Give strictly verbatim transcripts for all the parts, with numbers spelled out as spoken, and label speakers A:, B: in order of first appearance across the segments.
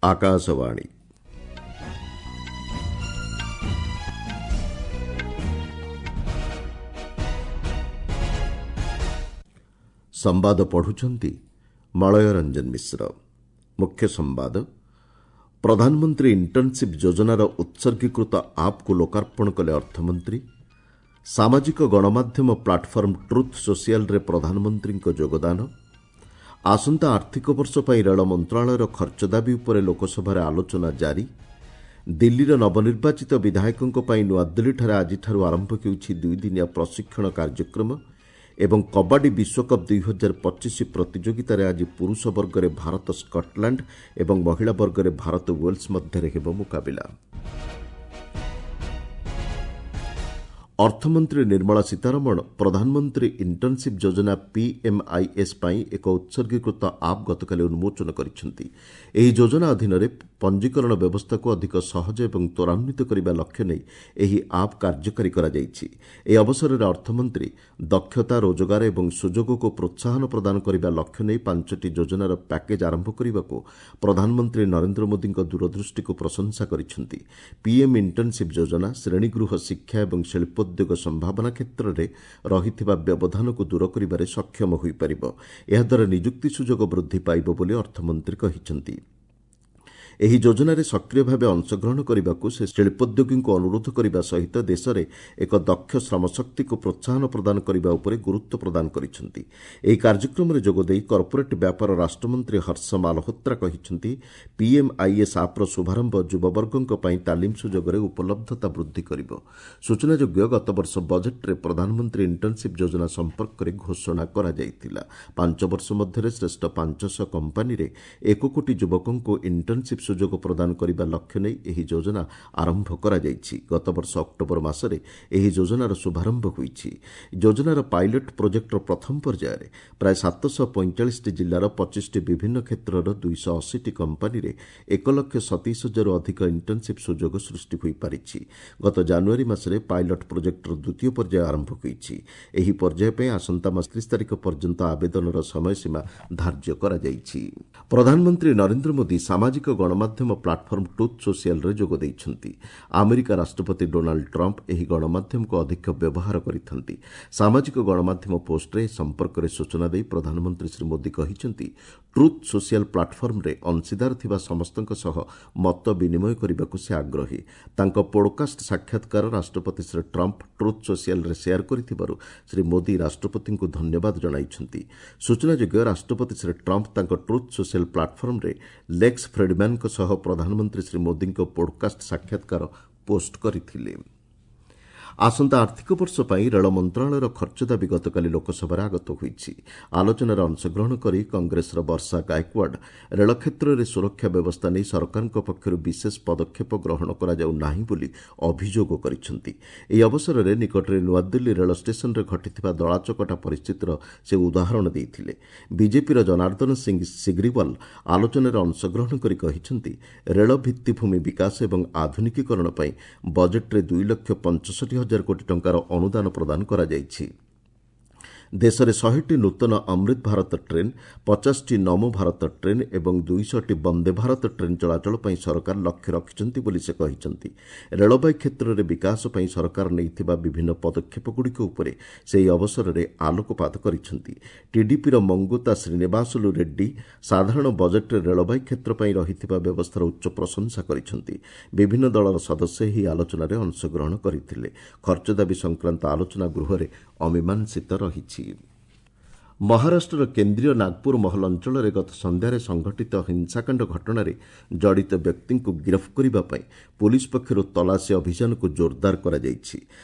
A: ଆକାଶବାଣୀ। ସମ୍ବାଦ ପଢୁଛନ୍ତି ମଳୟ ରଞ୍ଜନ ମିଶ୍ର। ମୁଖ୍ୟ ସମ୍ବାଦ, ପ୍ରଧାନମନ୍ତ୍ରୀ ଇଣ୍ଟର୍ଣ୍ଣସିପ୍ ଯୋଜନାର ଉତ୍ସର୍ଗୀକୃତ ଆପ୍କୁ ଲୋକାର୍ପଣ କଲେ ଅର୍ଥମନ୍ତ୍ରୀ। ସାମାଜିକ ଗଣମାଧ୍ୟମ ପ୍ଲାଟଫର୍ମ ଟ୍ରୁଥ୍ ସୋସିଆଲରେ ପ୍ରଧାନମନ୍ତ୍ରୀଙ୍କ ଯୋଗଦାନ। ଆସନ୍ତା ଆର୍ଥିକ ବର୍ଷ ପାଇଁ ରେଳ ମନ୍ତ୍ରଣାଳୟର ଖର୍ଚ୍ଚ ଦାବି ଉପରେ ଲୋକସଭାରେ ଆଲୋଚନା ଜାରି। ଦିଲ୍ଲୀର ନବନିର୍ବାଚିତ ବିଧାୟକଙ୍କ ପାଇଁ ନୂଆଦିଲ୍ଲୀଠାରେ ଆଜିଠାରୁ ଆରମ୍ଭ ହେଉଛି ଦୁଇଦିନିଆ ପ୍ରଶିକ୍ଷଣ କାର୍ଯ୍ୟକ୍ରମ। ଏବଂ କବାଡି ବିଶ୍ୱକପ୍ ଦୁଇହଜାର ପଚିଶ ପ୍ରତିଯୋଗିତାରେ ଆଜି ପୁରୁଷ ବର୍ଗରେ ଭାରତ ସ୍କଟଲ୍ୟାଣ୍ଡ ଏବଂ ମହିଳା ବର୍ଗରେ ଭାରତ ୱେଲ୍ସ ମଧ୍ୟରେ ହେବ ମୁକାବିଲା। ଅର୍ଥମନ୍ତ୍ରୀ ନିର୍ମଳା ସୀତାରମଣ ପ୍ରଧାନମନ୍ତ୍ରୀ ଇଣ୍ଟର୍ଣ୍ଣସିପ୍ ଯୋଜନା ପିଏମ୍ଆଇଏସ୍ ପାଇଁ ଏକ ଉତ୍ସର୍ଗୀକୃତ ଆପ୍ ଗତକାଲି ଉନ୍ମୋଚନ କରିଛନ୍ତି। ଏହି ଯୋଜନା ଅଧୀନରେ ପଞ୍ଜୀକରଣ ବ୍ୟବସ୍ଥାକୁ ଅଧିକ ସହଜ ଏବଂ ତ୍ୱରାନ୍ୱିତ କରିବା ଲକ୍ଷ୍ୟ ନେଇ ଏହି ଆପ୍ କାର୍ଯ୍ୟକାରୀ କରାଯାଇଛି। ଏହି ଅବସରରେ ଅର୍ଥମନ୍ତ୍ରୀ ଦକ୍ଷତା, ରୋଜଗାର ଏବଂ ସୁଯୋଗକୁ ପ୍ରୋତ୍ସାହନ ପ୍ରଦାନ କରିବା ଲକ୍ଷ୍ୟ ନେଇ ପାଞ୍ଚଟି ଯୋଜନାର ପ୍ୟାକେଜ୍ ଆରମ୍ଭ କରିବାକୁ ପ୍ରଧାନମନ୍ତ୍ରୀ ନରେନ୍ଦ୍ର ମୋଦିଙ୍କ ଦୂରଦୃଷ୍ଟିକୁ ପ୍ରଶଂସା କରିଛନ୍ତି। ପିଏମ୍ ଇଣ୍ଟର୍ଣ୍ଣସିପ୍ ଯୋଜନା ଶ୍ରେଣୀଗୃହ ଶିକ୍ଷା ଏବଂ ଶିଳ୍ପୋଦ୍ୟୋଗ ସମ୍ଭାବନା କ୍ଷେତ୍ରରେ ରହିଥିବା ବ୍ୟବଧାନକୁ ଦୂର କରିବାରେ ସକ୍ଷମ ହୋଇପାରିବ। ଏହାଦ୍ୱାରା ନିଯୁକ୍ତି ସୁଯୋଗ ବୃଦ୍ଧି ପାଇବ ବୋଲି ଅର୍ଥମନ୍ତ୍ରୀ କହିଛନ୍ତି। ଏହି ଯୋଜନାରେ ସକ୍ରିୟ ଭାବେ ଅଂଶଗ୍ରହଣ କରିବାକୁ ସେ ଶିଳ୍ପୋଦ୍ୟୋଗୀଙ୍କୁ ଅନୁରୋଧ କରିବା ସହିତ ଦେଶରେ ଏକ ଦକ୍ଷ ଶ୍ରମଶକ୍ତିକୁ ପ୍ରୋତ୍ସାହନ ପ୍ରଦାନ କରିବା ଉପରେ ଗୁରୁତ୍ୱ ପ୍ରଦାନ କରିଛନ୍ତି। ଏହି କାର୍ଯ୍ୟକ୍ରମରେ ଯୋଗଦେଇ କର୍ପୋରେଟ୍ ବ୍ୟାପାର ରାଷ୍ଟ୍ରମନ୍ତ୍ରୀ ହର୍ଷ ମାଲହୋତ୍ରା କହିଛନ୍ତି, ପିଏମ୍ଆଇଏସ୍ ଆପ୍ର ଶୁଭାରମ୍ଭ ଯୁବବର୍ଗଙ୍କ ପାଇଁ ତାଲିମ ସୁଯୋଗରେ ଉପଲବ୍ଧତା ବୃଦ୍ଧି କରିବ। ସୂଚନାଯୋଗ୍ୟ, ଗତବର୍ଷ ବଜେଟ୍ରେ ପ୍ରଧାନମନ୍ତ୍ରୀ ଇଣ୍ଟର୍ଣ୍ଣସିପ୍ ଯୋଜନା ସମ୍ପର୍କରେ ଘୋଷଣା କରାଯାଇଥିଲା। ପାଞ୍ଚ ବର୍ଷ ମଧ୍ୟରେ ଶ୍ରେଷ୍ଠ ପାଞ୍ଚଶହ କମ୍ପାନୀରେ ଏକ କୋଟି ଯୁବକଙ୍କୁ ଇଣ୍ଟର୍ଣ୍ଣସିପ୍ ସୁଯୋଗ ପ୍ରଦାନ କରିବା ଲକ୍ଷ୍ୟ ନେଇ ଏହି ଯୋଜନା ଆରମ୍ଭ କରାଯାଇଛି। ଗତବର୍ଷ ଅକ୍ଟୋବର ମାସରେ ଏହି ଯୋଜନାର ଶୁଭାରମ୍ଭ ହୋଇଛି। ଯୋଜନାର ପାଇଲଟ୍ ପ୍ରୋଜେକ୍ଟର ପ୍ରଥମ ପର୍ଯ୍ୟାୟରେ ପ୍ରାୟ ସାତଶହ ପଇଁଚାଳିଶଟି ଜିଲ୍ଲାର ପଚିଶଟି ବିଭିନ୍ନ କ୍ଷେତ୍ରର ଦୁଇଶହ ଅଶୀଟି କମ୍ପାନୀରେ ଏକ ଲକ୍ଷ ସତେଇଶ ହଜାରରୁ ଅଧିକ ଇଣ୍ଟର୍ଣ୍ଣସିପ୍ ସୁଯୋଗ ସୃଷ୍ଟି ହୋଇପାରିଛି। ଗତ ଜାନୁଆରୀ ମାସରେ ପାଇଲଟ୍ ପ୍ରୋଜେକ୍ଟର ଦ୍ୱିତୀୟ ପର୍ଯ୍ୟାୟ ଆରମ୍ଭ ହୋଇଛି। ଏହି ପର୍ଯ୍ୟାୟ ପାଇଁ ଆସନ୍ତା ମାସ ତିରିଶ ତାରିଖ ପର୍ଯ୍ୟନ୍ତ ଆବେଦନର ସମୟସୀମା ଧାର୍ଯ୍ୟ କରାଯାଇଛି। ପ୍ରଧାନମନ୍ତ୍ରୀ ନରେନ୍ଦ୍ର ମୋଦି ସାମାଜିକ ଗଣମାଧ୍ୟମ ପ୍ଲାଟଫର୍ମ ଟ୍ରୁଥ୍ ସୋସିଆଲରେ ଯୋଗ ଦେଇଛନ୍ତି। ଆମେରିକା ରାଷ୍ଟ୍ରପତି ଡୋନାଲ୍ଡ ଟ୍ରମ୍ପ ଏହି ଗଣମାଧ୍ୟମକୁ ଅଧିକ ବ୍ୟବହାର କରିଥାନ୍ତି। ସାମାଜିକ ଗଣମାଧ୍ୟମ ପୋଷ୍ଟରେ ଏ ସମ୍ପର୍କରେ ସୂଚନା ଦେଇ ପ୍ରଧାନମନ୍ତ୍ରୀ ଶ୍ରୀ ମୋଦି କହିଛନ୍ତି, ଟ୍ରୁଥ୍ ସୋସିଆଲ ପ୍ଲାଟଫର୍ମରେ ଅଂଶୀଦାର ଥିବା ସମସ୍ତଙ୍କ ସହ ମତ ବିନିମୟ କରିବାକୁ ସେ ଆଗ୍ରହୀ। ତାଙ୍କ ପୋଡକାଷ୍ଟ ସାକ୍ଷାତକାର ରାଷ୍ଟ୍ରପତି ଶ୍ରୀ ଟ୍ରମ୍ପ ଟ୍ରୁଥ୍ ସୋସିଆଲରେ ସେୟାର କରିଥିବାରୁ ଶ୍ରୀ ମୋଦି ରାଷ୍ଟ୍ରପତିଙ୍କୁ ଧନ୍ୟବାଦ ଜଣାଇଛନ୍ତି। ସୂଚନାଯୋଗ୍ୟ, ରାଷ୍ଟ୍ରପତି ଶ୍ରୀ ଟ୍ରମ୍ପ ତାଙ୍କ ଟ୍ରୁଥ୍ ସୋସିଆଲ ପ୍ଲାଟଫର୍ମରେ ଲେକ୍ସ ଫ୍ରେଡମ୍ୟାନଙ୍କ ସହ ପ୍ରଧାନମନ୍ତ୍ରୀ ଶ୍ରୀ ମୋଦିଙ୍କ ପୋଡକାଷ୍ଟ ସାକ୍ଷାତକାର ପୋଷ୍ଟ କରିଥିଲେ। ଆସନ୍ତା ଆର୍ଥିକ ବର୍ଷ ପାଇଁ ରେଳ ମନ୍ତ୍ରଣାଳୟର ଖର୍ଚ୍ଚ ଦାବି ଗତକାଲି ଲୋକସଭାରେ ଆଗତ ହୋଇଛି। ଆଲୋଚନାରେ ଅଂଶଗ୍ରହଣ କରି କଂଗ୍ରେସର ବର୍ଷା ଗାଏକୱାଡ ରେଳ କ୍ଷେତ୍ରରେ ସୁରକ୍ଷା ବ୍ୟବସ୍ଥା ନେଇ ସରକାରଙ୍କ ପକ୍ଷରୁ ବିଶେଷ ପଦକ୍ଷେପ ଗ୍ରହଣ କରାଯାଉ ନାହିଁ ବୋଲି ଅଭିଯୋଗ କରିଛନ୍ତି। ଏହି ଅବସରରେ ନିକଟରେ ନୂଆଦିଲ୍ଲୀ ରେଳ ଷ୍ଟେସନରେ ଘଟିଥିବା ଦଳାଚକଟା ପରିସ୍ଥିତିର ସେ ଉଦାହରଣ ଦେଇଥିଲେ। ବିଜେପିର ଜନାର୍ଦ୍ଦନ ସିଂ ସିଗ୍ରିୱାଲ ଆଲୋଚନାରେ ଅଂଶଗ୍ରହଣ କରି କହିଛନ୍ତି, ରେଳ ଭିତ୍ତିଭୂମି ବିକାଶ ଏବଂ ଆଧୁନିକୀକରଣ ପାଇଁ ବଜେଟ୍ରେ ଦୁଇ ଲକ୍ଷ ପଞ୍ଚଷଠି ହଜାର କୋଟି ଟଙ୍କାର ଅନୁଦାନ ପ୍ରଦାନ କରାଯାଇଛି। ଦେଶରେ ଶହେଟି ନୂତନ ଅମୃତ ଭାରତ ଟ୍ରେନ୍, ପଚାଶଟି ନମୋ ଭାରତ ଟ୍ରେନ୍ ଏବଂ ଦୁଇଶହଟି ବନ୍ଦେ ଭାରତ ଟ୍ରେନ୍ ଚଳାଚଳ ପାଇଁ ସରକାର ଲକ୍ଷ୍ୟ ରଖିଛନ୍ତି ବୋଲି ସେ କହିଛନ୍ତି। ରେଳବାଇ କ୍ଷେତ୍ରରେ ବିକାଶ ପାଇଁ ସରକାର ନେଇଥିବା ବିଭିନ୍ନ ପଦକ୍ଷେପଗୁଡ଼ିକ ଉପରେ ସେ ଏହି ଅବସରରେ ଆଲୋକପାତ କରିଛନ୍ତି। ଟିଡିପିର ମଙ୍ଗୁତା ଶ୍ରୀନିବାସଲୁ ରେଡ୍ଡି ସାଧାରଣ ବଜେଟ୍ରେ ରେଳବାଇ କ୍ଷେତ୍ର ପାଇଁ ରହିଥିବା ବ୍ୟବସ୍ଥାର ଉଚ୍ଚ ପ୍ରଶଂସା କରିଛନ୍ତି। ବିଭିନ୍ନ ଦଳର ସଦସ୍ୟ ଏହି ଆଲୋଚନାରେ ଅଂଶଗ୍ରହଣ କରିଥିଲେ। ଖର୍ଚ୍ଚ ଦାବି ସଂକ୍ରାନ୍ତ ଆଲୋଚନା ଗୃହରେ ଅମୀମାଂସିତ ରହିଛି। ମହାରାଷ୍ଟ୍ରର କେନ୍ଦ୍ରୀୟ ନାଗପୁର ମହଲ ଅଞ୍ଚଳରେ ଗତ ସନ୍ଧ୍ୟାରେ ସଂଘଟିତ ହିଂସାକାଣ୍ଡ ଘଟଣାରେ ଜଡ଼ିତ ବ୍ୟକ୍ତିଙ୍କୁ ଗିରଫ କରିବା ପାଇଁ ପୋଲିସ ପକ୍ଷରୁ ତଲାସୀ ଅଭିଯାନକୁ ଜୋରଦାର କରାଯାଇଛି।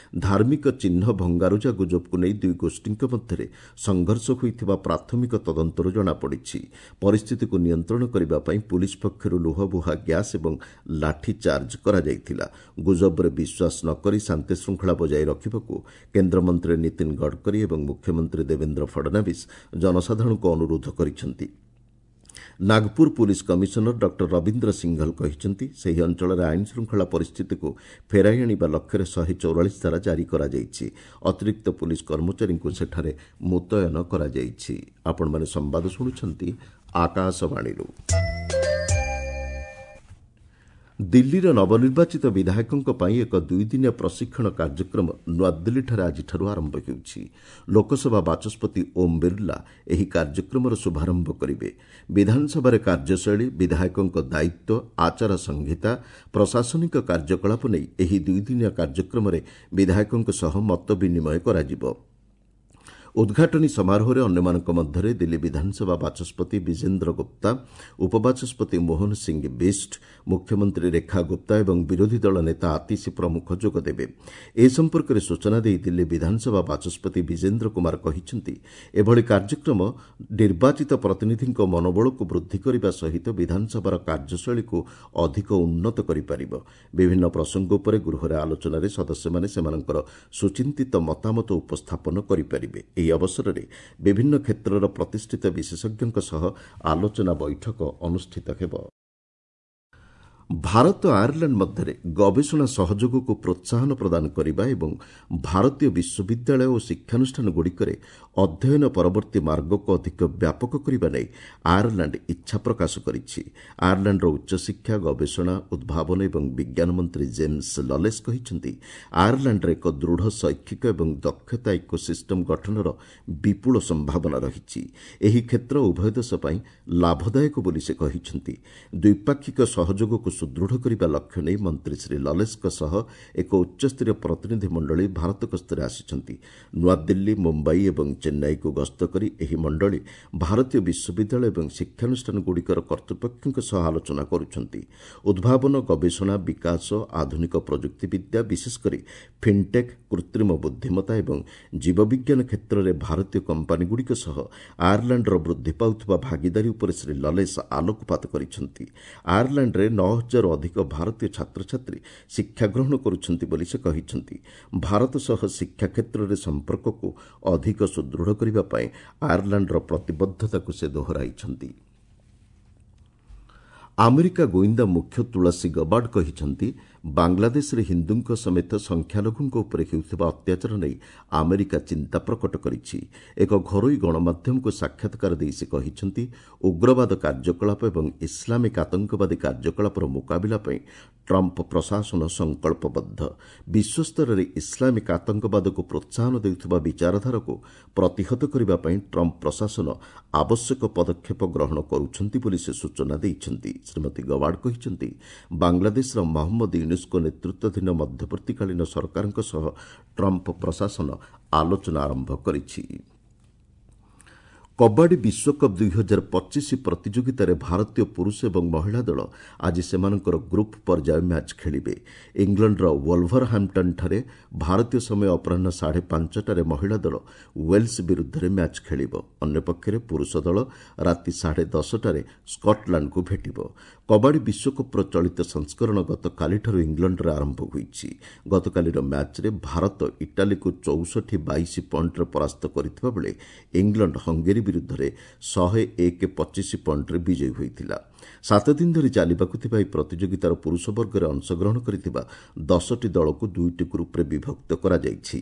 A: ଧାର୍ମିକ ଚିହ୍ନ ଭଙ୍ଗାରୁଜା ଗୁଜବକୁ ନେଇ ଦୁଇ ଗୋଷ୍ଠୀଙ୍କ ମଧ୍ୟରେ ସଂଘର୍ଷ ହୋଇଥିବା ପ୍ରାଥମିକ ତଦନ୍ତରୁ ଜଣାପଡ଼ିଛି। ପରିସ୍ଥିତିକୁ ନିୟନ୍ତ୍ରଣ କରିବା ପାଇଁ ପୋଲିସ ପକ୍ଷରୁ ଲୁହବୁହା ଗ୍ୟାସ୍ ଏବଂ ଲାଠି ଚାର୍ଜ କରାଯାଇଥିଲା। ଗୁଜବରେ ବିଶ୍ୱାସ ନ କରି ଶାନ୍ତିଶୃଙ୍ଖଳା ବଜାୟ ରଖିବାକୁ କେନ୍ଦ୍ରମନ୍ତ୍ରୀ ନୀତିନ ଗଡ଼କରୀ ଏବଂ ମୁଖ୍ୟମନ୍ତ୍ରୀ ଦେବେନ୍ଦ୍ର ଫଡନାଭିସ୍ ଜନସାଧାରଣଙ୍କୁ ଅନୁରୋଧ କରିଛନ୍ତି। Nagpur police commissioner doctor Ravindra Singhal କହିଛନ୍ତି, ସେହି ଅଞ୍ଚଳରେ ଆଇନ ଶୃଙ୍ଖଳା ପରିସ୍ଥିତିକୁ ଫେରାଇ ଆଣିବା ଲକ୍ଷ୍ୟରେ ଶହେ ଚଉରାଳିଶ ଧାରା ଜାରି କରାଯାଇଛି। ଅତିରିକ୍ତ ପୋଲିସ କର୍ମଚାରୀଙ୍କୁ ସେଠାରେ ମୁତୟନ କରାଯାଇଛି। ଆପଣମାନେ ସମ୍ବାଦ ଶୁଣୁଛନ୍ତି ଆକାଶବାଣୀରୁ। ଦିଲ୍ଲୀର ନବନିର୍ବାଚିତ ବିଧାୟକଙ୍କ ପାଇଁ ଏକ ଦୁଇଦିନିଆ ପ୍ରଶିକ୍ଷଣ କାର୍ଯ୍ୟକ୍ରମ ନୂଆଦିଲ୍ଲୀଠାରେ ଆଜିଠାରୁ ଆରମ୍ଭ ହେଉଛି। ଲୋକସଭା ବାଚସ୍ପତି ଓମ୍ ବିର୍ଲା ଏହି କାର୍ଯ୍ୟକ୍ରମର ଶୁଭାରମ୍ଭ କରିବେ। ବିଧାନସଭାରେ କାର୍ଯ୍ୟଶୈଳୀ, ବିଧାୟକଙ୍କ ଦାୟିତ୍ୱ, ଆଚାର ସଂହିତା, ପ୍ରଶାସନିକ କାର୍ଯ୍ୟକଳାପ ନେଇ ଏହି ଦୁଇଦିନିଆ କାର୍ଯ୍ୟକ୍ରମରେ ବିଧାୟକଙ୍କ ସହ ମତ ବିନିମୟ କରାଯିବ। ଉଦ୍ଘାଟନୀ ସମାରୋହରେ ଅନ୍ୟମାନଙ୍କ ମଧ୍ୟରେ ଦିଲ୍ଲୀ ବିଧାନସଭା ବାଚସ୍ପତି ବିଜେନ୍ଦ୍ର ଗୁପ୍ତା, ଉପବାଚସ୍ପତି ମୋହନ ସିଂ ବିଷ୍ଟ, ମୁଖ୍ୟମନ୍ତ୍ରୀ ରେଖା ଗୁପ୍ତା ଏବଂ ବିରୋଧୀ ଦଳ ନେତା ଆତିଶୀ ପ୍ରମୁଖ ଯୋଗଦେବେ। ଏ ସମ୍ପର୍କରେ ସୂଚନା ଦେଇ ଦିଲ୍ଲୀ ବିଧାନସଭା ବାଚସ୍ପତି ବିଜେନ୍ଦ୍ର କୁମାର କହିଛନ୍ତି, ଏଭଳି କାର୍ଯ୍ୟକ୍ରମ ନିର୍ବାଚିତ ପ୍ରତିନିଧିଙ୍କ ମନୋବଳକୁ ବୃଦ୍ଧି କରିବା ସହିତ ବିଧାନସଭାର କାର୍ଯ୍ୟଶୈଳୀକୁ ଅଧିକ ଉନ୍ନତ କରିପାରିବ। ବିଭିନ୍ନ ପ୍ରସଙ୍ଗ ଉପରେ ଗୃହରେ ଆଲୋଚନାରେ ସଦସ୍ୟମାନେ ସେମାନଙ୍କର ସୁଚିନ୍ତିତ ମତାମତ ଉପସ୍ଥାପନ କରିପାରିବେ। ଏହି ଅବସରରେ ବିଭିନ୍ନ କ୍ଷେତ୍ରର ପ୍ରତିଷ୍ଠିତ ବିଶେଷଜ୍ଞଙ୍କ ସହ ଆଲୋଚନା ବୈଠକ ଅନୁଷ୍ଠିତ ହେବ। ଭାରତ ଆୟାରଲାଣ୍ଡ ମଧ୍ୟରେ ଗବେଷଣା ସହଯୋଗକୁ ପ୍ରୋତ୍ସାହନ ପ୍ରଦାନ କରିବା ଏବଂ ଭାରତୀୟ ବିଶ୍ୱବିଦ୍ୟାଳୟ ଓ ଶିକ୍ଷାନୁଷ୍ଠାନଗୁଡ଼ିକରେ ଅଧ୍ୟୟନ ପରବର୍ତ୍ତୀ ମାର୍ଗକୁ ଅଧିକ ବ୍ୟାପକ କରିବା ନେଇ ଆୟାରଲାଣ୍ଡ ଇଚ୍ଛା ପ୍ରକାଶ କରିଛି। ଆୟାରଲାଣ୍ଡର ଉଚ୍ଚଶିକ୍ଷା, ଗବେଷଣା, ଉଦ୍ଭାବନ ଏବଂ ବିଜ୍ଞାନ ମନ୍ତ୍ରୀ ଜେମ୍ସ ଲଲେସ୍ କହିଛନ୍ତି, ଆୟାରଲାଣ୍ଡରେ ଏକ ଦୃଢ଼ ଶୈକ୍ଷିକ ଏବଂ ଦକ୍ଷତା ଇକୋସିଷ୍ଟମ୍ ଗଠନର ବିପୁଳ ସମ୍ଭାବନା ରହିଛି। ଏହି କ୍ଷେତ୍ର ଉଭୟ ଦେଶ ପାଇଁ ଲାଭଦାୟକ ବୋଲି ସେ କହିଛନ୍ତି। ଦ୍ୱିପାକ୍ଷିକ ସହଯୋଗକୁ ସୁଦୃଢ଼ କରିବା ଲକ୍ଷ୍ୟ ନେଇ ମନ୍ତ୍ରୀ ଶ୍ରୀ ଲଲେସ୍ଙ୍କ ସହ ଏକ ଉଚ୍ଚସ୍ତରୀୟ ପ୍ରତିନିଧି ମଣ୍ଡଳୀ ଭାରତ ଗସ୍ତରେ ଆସିଛନ୍ତି। ନୂଆଦିଲ୍ଲୀ, ମୁମ୍ବାଇ ଏବଂ ଚେନ୍ନାଇକୁ ଗସ୍ତ କରି ଏହି ମଣ୍ଡଳୀ ଭାରତୀୟ ବିଶ୍ୱବିଦ୍ୟାଳୟ ଏବଂ ଶିକ୍ଷାନୁଷ୍ଠାନଗୁଡ଼ିକର କର୍ତ୍ତୃପକ୍ଷଙ୍କ ସହ ଆଲୋଚନା କରୁଛନ୍ତି। ଉଦ୍ଭାବନ, ଗବେଷଣା, ବିକାଶ, ଆଧୁନିକ ପ୍ରଯୁକ୍ତିବିଦ୍ୟା, ବିଶେଷକରି ଫିନ୍ଟେକ୍, କୃତ୍ରିମ ବୁଦ୍ଧିମତ୍ତା ଏବଂ ଜୀବବିଜ୍ଞାନ କ୍ଷେତ୍ରରେ ଭାରତୀୟ କମ୍ପାନୀଗୁଡ଼ିକ ସହ ଆୟାରଲାଣ୍ଡର ବୃଦ୍ଧି ପାଉଥିବା ଭାଗିଦାରୀ ଉପରେ ଶ୍ରୀ ଲଲେସ୍ ଆଲୋକପାତ କରିଛନ୍ତି। ଆୟାରଲାଣ୍ଡରେ ନଅ ହଜାରରୁ ଅଧିକ ଭାରତୀୟ ଛାତ୍ରଛାତ୍ରୀ ଶିକ୍ଷା ଗ୍ରହଣ କରୁଛନ୍ତି ବୋଲି ସେ କହିଛନ୍ତି। ଭାରତ ସହ ଶିକ୍ଷା କ୍ଷେତ୍ରରେ ସମ୍ପର୍କକୁ ଅଧିକ ସୁଦୃଢ଼ କରିବା ପାଇଁ ଆୟାରଲାଣ୍ଡର ପ୍ରତିବଦ୍ଧତାକୁ ସେ ଦୋହରାଇଛନ୍ତି। ଆମେରିକା ଗୋଇନ୍ଦା ମୁଖ୍ୟ ତୁଳସୀ ଗବାର୍ଡ କହିଛନ୍ତି, ବାଂଲାଦେଶରେ ହିନ୍ଦୁଙ୍କ ସମେତ ସଂଖ୍ୟାଲଘୁଙ୍କ ଉପରେ ହେଉଥିବା ଅତ୍ୟାଚାର ନେଇ ଆମେରିକା ଚିନ୍ତା ପ୍ରକଟ କରିଛି। ଏକ ଘରୋଇ ଗଣମାଧ୍ୟମକୁ ସାକ୍ଷାତକାର ଦେଇ ସେ କହିଛନ୍ତି, ଉଗ୍ରବାଦ କାର୍ଯ୍ୟକଳାପ ଏବଂ ଇସଲାମିକ୍ ଆତଙ୍କବାଦୀ କାର୍ଯ୍ୟକଳାପର ମୁକାବିଲା ପାଇଁ ଟ୍ରମ୍ପ ପ୍ରଶାସନ ସଂକଳ୍ପବଦ୍ଧ। ବିଶ୍ୱସ୍ତରରେ ଇସଲାମିକ୍ ଆତଙ୍କବାଦକୁ ପ୍ରୋତ୍ସାହନ ଦେଉଥିବା ବିଚାରଧାରାକୁ ପ୍ରତିହତ କରିବା ପାଇଁ ଟ୍ରମ୍ପ ପ୍ରଶାସନ ଆବଶ୍ୟକ ପଦକ୍ଷେପ ଗ୍ରହଣ କରୁଛନ୍ତି ବୋଲି ସେ ସୂଚନା ଦେଇଛନ୍ତି। ଶ୍ରୀମତୀ ଗବାର୍ଡ କହିଛନ୍ତି, ବାଂଲାଦେଶର ମହମ୍ମଦ ୟୁନୁସ୍ଙ୍କ ନେତୃତ୍ୱାଧୀନ ମଧ୍ୟବର୍ତ୍ତୀକାଳୀନ ସରକାରଙ୍କ ସହ ଟ୍ରମ୍ପ ପ୍ରଶାସନ ଆଲୋଚନା ଆରମ୍ଭ କରିଛି। କବାଡି ବିଶ୍ୱକପ୍ ଦୁଇହଜାର ପଚିଶ ପ୍ରତିଯୋଗିତାରେ ଭାରତୀୟ ପୁରୁଷ ଏବଂ ମହିଳା ଦଳ ଆଜି ସେମାନଙ୍କର ଗ୍ରୁପ୍ ପର୍ଯ୍ୟାୟ ମ୍ୟାଚ୍ ଖେଳିବେ। ଇଂଲଣ୍ଡର ୱଲଭରହାମ୍ପଟନ୍ଠାରେ ଭାରତୀୟ ସମୟ ଅପରାହ୍ନ ସାଢ଼େ ପାଞ୍ଚଟାରେ ମହିଳା ଦଳ ୱେଲ୍ସ ବିରୁଦ୍ଧରେ ମ୍ୟାଚ୍ ଖେଳିବ। ଅନ୍ୟପକ୍ଷରେ ପୁରୁଷ ଦଳ ରାତି ସାଢ଼େ ଦଶଟାରେ ସ୍କଟଲାଣ୍ଡକୁ ଭେଟିବ। କବାଡି ବିଶ୍ୱକପ୍ର ଚଳିତ ସଂସ୍କରଣ ଗତକାଲିଠାରୁ ଇଂଲଣ୍ଡରେ ଆରମ୍ଭ ହୋଇଛି। ଗତକାଲିର ମ୍ୟାଚ୍ରେ ଭାରତ ଇଟାଲୀକୁ ଚଉଷଠି ବାଇଶ ପଏଣ୍ଟରେ ପରାସ୍ତ କରିଥିବା ବେଳେ ଇଂଲଣ୍ଡ ହଙ୍ଗେରୀ ବିରୁଦ୍ଧରେ ଶହେ ଏକ ପଚିଶ ପଏଣ୍ଟରେ ବିଜୟୀ ହୋଇଥିଲା। ସାତ ଦିନ ଧରି ଚାଲିବାକୁ ଥିବା ଏହି ପ୍ରତିଯୋଗିତାର ପୁରୁଷ ବର୍ଗରେ ଅଂଶଗ୍ରହଣ କରିଥିବା ଦଶଟି ଦଳକୁ ଦୁଇଟି ଗ୍ରୁପ୍ରେ ବିଭକ୍ତ କରାଯାଇଛି।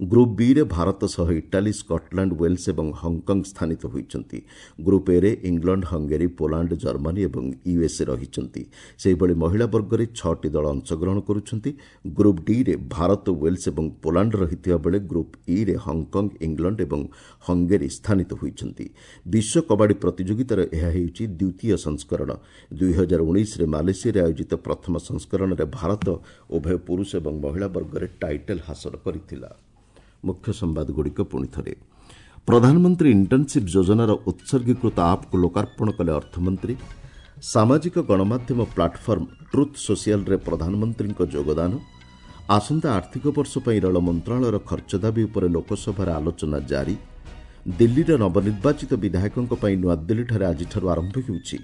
A: ଗ୍ରୁପ୍ ବିରେ ଭାରତ ସହ ଇଟାଲୀ, ସ୍କଟଲାଣ୍ଡ, ୱେଲ୍ସ ଏବଂ ହଂକଂ ସ୍ଥାନିତ ହୋଇଛନ୍ତି। ଗ୍ରୁପ୍ ଏରେ ଇଂଲଣ୍ଡ, ହଙ୍ଗେରୀ, ପୋଲାଣ୍ଡ, ଜର୍ମାନୀ ଏବଂ ୟୁଏସ୍ଏ ରହିଛନ୍ତି। ସେହିଭଳି ମହିଳା ବର୍ଗରେ ଛଅଟି ଦଳ ଅଂଶଗ୍ରହଣ କରୁଛନ୍ତି। ଗ୍ରୁପ୍ ଡିରେ ଭାରତ, ୱେଲ୍ସ ଏବଂ ପୋଲାଣ୍ଡ ରହିଥିବା ବେଳେ ଗ୍ରୁପ୍ ଇରେ ହଂକଂ, ଇଂଲଣ୍ଡ ଏବଂ ହଙ୍ଗେରୀ ସ୍ଥାନିତ ହୋଇଛନ୍ତି। ବିଶ୍ୱ କବାଡି ପ୍ରତିଯୋଗିତାର ଏହା ହେଉଛି ଦ୍ୱିତୀୟ ସଂସ୍କରଣ। ଦୁଇହଜାର ଉଣେଇଶରେ ମାଲେସିଆରେ ଆୟୋଜିତ ପ୍ରଥମ ସଂସ୍କରଣରେ ଭାରତ ଉଭୟ ପୁରୁଷ ଏବଂ ମହିଳା ବର୍ଗରେ ଟାଇଟଲ୍ ହାସଲ କରିଥିଲା। ମୁଖ୍ୟ ସମ୍ବାଦଗୁଡ଼ିକ ପୁଣି ଥରେ। ପ୍ରଧାନମନ୍ତ୍ରୀ ଇଣ୍ଟର୍ଣ୍ଣସିପ୍ ଯୋଜନାର ଉତ୍ସର୍ଗୀକୃତ ଆପ୍କୁ ଲୋକାର୍ପଣ କଲେ ଅର୍ଥମନ୍ତ୍ରୀ। ସାମାଜିକ ଗଣମାଧ୍ୟମ ପ୍ଲାଟଫର୍ମ ଟ୍ରୁଥ୍ ସୋସିଆଲରେ ପ୍ରଧାନମନ୍ତ୍ରୀଙ୍କ ଯୋଗଦାନ। ଆସନ୍ତା ଆର୍ଥିକ ବର୍ଷ ପାଇଁ ରେଳ ମନ୍ତ୍ରଣାଳୟର ଖର୍ଚ୍ଚ ଦାବି ଉପରେ ଲୋକସଭାରେ ଆଲୋଚନା ଜାରି। ଦିଲ୍ଲୀର ନବନିର୍ବାଚିତ ବିଧାୟକଙ୍କ ପାଇଁ ନୂଆଦିଲ୍ଲୀଠାରେ ଆଜିଠାରୁ ଆରମ୍ଭ ହେଉଛି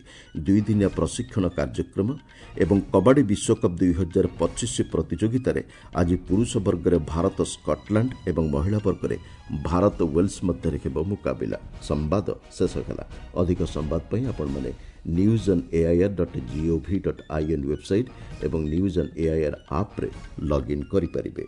A: ଦୁଇଦିନିଆ ପ୍ରଶିକ୍ଷଣ କାର୍ଯ୍ୟକ୍ରମ ଏବଂ କବାଡି ବିଶ୍ୱକପ୍ ଦୁଇହଜାର ପଚିଶ ପ୍ରତିଯୋଗିତାରେ ଆଜି ପୁରୁଷ ବର୍ଗରେ ଭାରତ ସ୍କଟଲାଣ୍ଡ ଏବଂ ମହିଳା ବର୍ଗରେ ଭାରତ ୱେଲ୍ସ ମଧ୍ୟରେ ହେବ ମୁକାବିଲା। ସମ୍ବାଦ ଶେଷ ହେଲା। ଅଧିକ ସମ୍ବାଦ ପାଇଁ ଆପଣମାନେ news on AIR dot gov dot in website ଏବଂ ନ୍ୟୁଜ୍ ଅନ୍ ଏଆଇଆର୍ ଆପ୍ରେ ଲଗ୍ଇନ୍ କରିପାରିବେ।